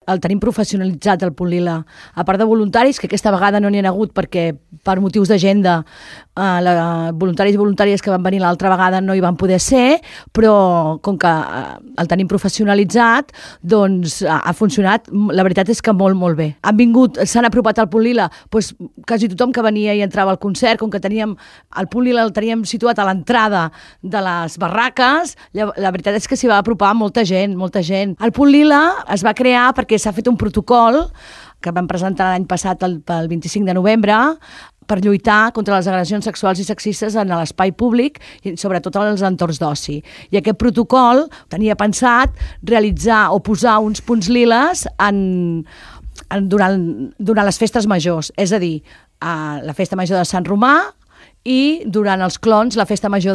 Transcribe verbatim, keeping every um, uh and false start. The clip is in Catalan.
el tenim professionalitzat, el Punt Lila. A part de voluntaris, que aquesta vegada no n'hi ha hagut perquè per motius d'agenda eh, la, voluntaris i voluntàries que van venir l'altra vegada no hi van poder ser, però com que eh, el tenim professionalitzat, doncs ha, ha funcionat, la veritat és que molt, molt bé. Han vingut, s'han apropat al Punt Lila, doncs quasi tothom que venia i entrava al concert, com que teníem, el Punt Lila el teníem situat a l'entrada de les barraques, la, la veritat és que s'hi va apropar molta gent, molta gent. El Punt Lila es va crear perquè s'ha fet un protocol que vam presentar l'any passat el, el vint-i-cinc de novembre per lluitar contra les agressions sexuals i sexistes en l'espai públic i sobretot en els entorns d'oci. I aquest protocol tenia pensat realitzar o posar uns punts liles en, en, durant, durant les festes majors, és a dir, a la festa major de Sant Romà i durant els clons, la festa major